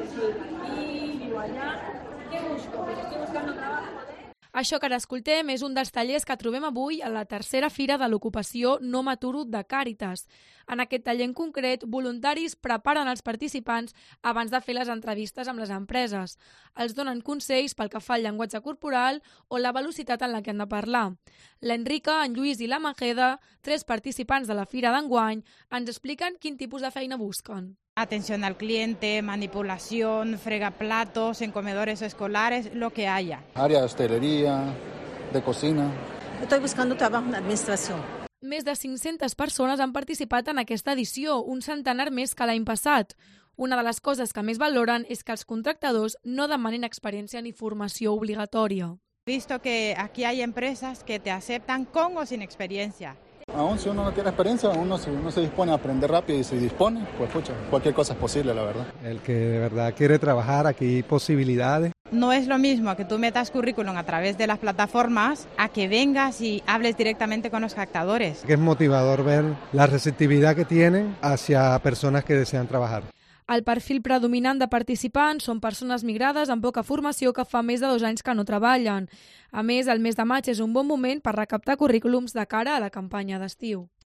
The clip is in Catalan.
reside aquí, vivo allá. ¿Qué busco? Pues estoy buscando trabajo. Això que ara escoltem és un dels tallers que trobem avui a la tercera Fira de l'Ocupació No M'aturo de Càritas. En aquest taller en concret, voluntaris preparen els participants abans de fer les entrevistes amb les empreses. Els donen consells pel que fa al llenguatge corporal o la velocitat en la que han de parlar. L'Enrica, en Lluís i la Majeda, 3 participants de la Fira d'enguany, ens expliquen quin tipus de feina busquen. Atención al cliente, manipulación, fregaplatos en comedores escolares, lo que haya. Área de hostelería, de cocina. Estoy buscando trabajo en administración. Més de 500 persones han participat en aquesta edició, un centenar més que l'any passat. Una de les coses que més valoren és que els contractadors no demanen experiència ni formació obligatòria. Visto que aquí hay empresas que te aceptan con o sin experiencia. Aún si uno no tiene experiencia, uno se dispone a aprender rápido y se dispone, pues pucha, cualquier cosa es posible, la verdad. El que de verdad quiere trabajar, aquí hay posibilidades. No es lo mismo que tú metas currículum a través de las plataformas a que vengas y hables directamente con los captadores. Es motivador ver la receptividad que tienen hacia personas que desean trabajar. El perfil predominant de participants són persones migrades amb poca formació que fa més de 2 anys que no treballen. A més, el mes de maig és un bon moment per recaptar currículums de cara a la campanya d'estiu.